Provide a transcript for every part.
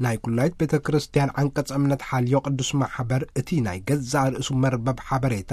ናይ ኩላይት ቤተ ክርስቲያን ዓንቀጸ እምነት ሓልዮ ቅዱስ ማሕበር፣ እቲ ናይ ገዛእ ርእሱ መርበብ ሓበሬታ፣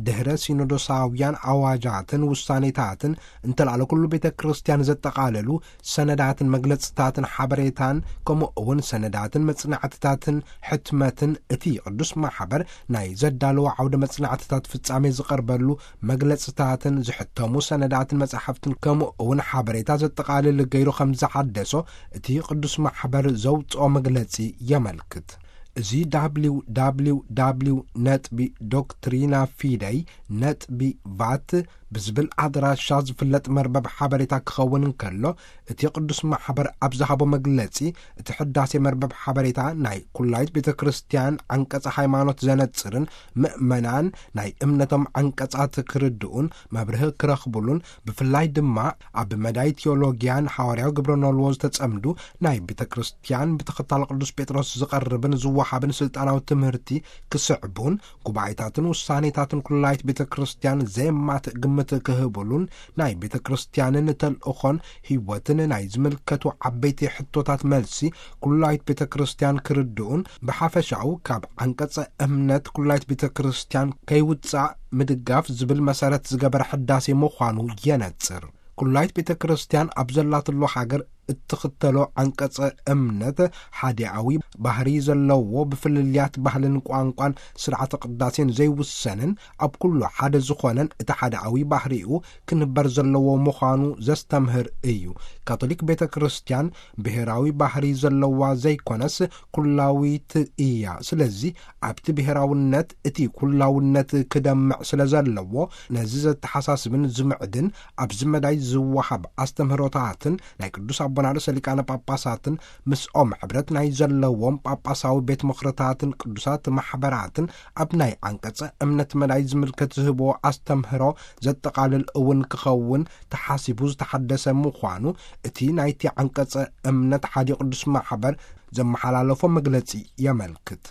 ድሕረ ሲኖዶሳውያን ኣዋጃትን ውሳኔታትን፣ እንተልኣለ ኩሉ ቤተ ክርስቲያን ዘጠቓለሉ ሰነዳትን መግለጽታትን ሓበሬታን፣ ከምኡ እውን ሰነዳትን መጽናዕትታትን ሕትመትን፣ እቲ ቅዱስ ማሕበር ናይ ዘዳለዎ ዓውደ መጽናዕትታት ፍጻሜ ዝቐርበሉ መግለጽታትን ዝሕተሙ ሰነዳትን መጻሕፍትን፣ ከምኡ እውን ሓበሬታ ዘጠቓልል ገይሩ ከም ዝሓደሶ እቲ ቅዱስ ማሕበር ዘውጽኦ መግለጺ የመልክት። እዚ www ነጥቢ ዶክትሪና ፊደይ ነጥቢ ቫት ብዝብል ኣድራሻ ዝፍለጥ መርበብ ሓበሬታ ክኸውን እንከሎ፣ እቲ ቅዱስ ማሕበር ኣብ ዝሃቦ መግለጺ፣ እቲ ሕዳሴ መርበብ ሓበሬታ ናይ ኩላይት ቤተ ክርስቲያን ዓንቀጸ ሃይማኖት ዘነጽርን፣ ምእመናን ናይ እምነቶም ዓንቀጻት ክርድኡን መብርሂ ክረኽቡሉን፣ ብፍላይ ድማ ኣብ መዳይ ቴዎሎጊያን ሓዋርያዊ ግብረ ኖልዎ ዝተጸምዱ ናይ ቤተ ክርስቲያን ብተኸታሊ ቅዱስ ጴጥሮስ ዝቐርብን ዝወሃብን ስልጣናዊ ትምህርቲ ክስዕቡን፣ ጉባኤታትን ውሳኔታትን ኩላይት ቤተ ክርስቲያን ዘየማትእ ግምት ክህብሉን፣ ናይ ቤተ ክርስቲያንን ተልእኾን ህይወትን ናይ ዝምልከቱ ዓበይቲ ሕቶታት መልሲ ኩላይት ቤተ ክርስቲያን ክርድኡን፣ ብሓፈሻኡ ካብ ዓንቀጸ እምነት ኩላይት ቤተ ክርስቲያን ከይውጻእ ምድጋፍ ዝብል መሰረት ዝገበረ ሕዳሴ ምዃኑ የነጽር። ኩላይት ቤተ ክርስቲያን ኣብ ዘላትሉ ሃገር እትኽተሎ ዓንቀጸ እምነት ሓዲኣዊ ባህሪ ዘለዎ፣ ብፍልልያት ባህልን ቋንቋን ስርዓተ ቅዳሴን ዘይውሰንን፣ ኣብ ኩሉ ሓደ ዝኾነን እቲ ሓዲኣዊ ባህሪኡ ክንበር ዘለዎ ምዃኑ ዘስተምህር እዩ። ካቶሊክ ቤተ ክርስቲያን ብሔራዊ ባህሪ ዘለዋ ዘይኮነስ ኩላዊት እያ። ስለዚ ኣብቲ ብሔራውነት እቲ ኩላውነት ክደምዕ ስለ ዘለዎ፣ ነዚ ዘተሓሳስብን ዝምዕድን ኣብዚ መዳይ ዝወሃብ ኣስተምህሮታትን ናይ ቅዱስ ኣቦና ርእሰ ሊቃነ ጳጳሳትን ምስኦም ሕብረት ናይ ዘለዎም ጳጳሳዊ ቤት ምኽርታትን ቅዱሳት ማሕበራትን ኣብ ናይ ዓንቀጸ እምነት መዳይ ዝምልከት ዝህብዎ ኣስተምህሮ ዘጠቓልል እውን ክኸውን ተሓሲቡ ዝተሓደሰ ምዃኑ እቲ ናይቲ ዓንቀጸ እምነት ሓዲ ቅዱስ ማሕበር ዘመሓላለፎ መግለጺ የመልክት።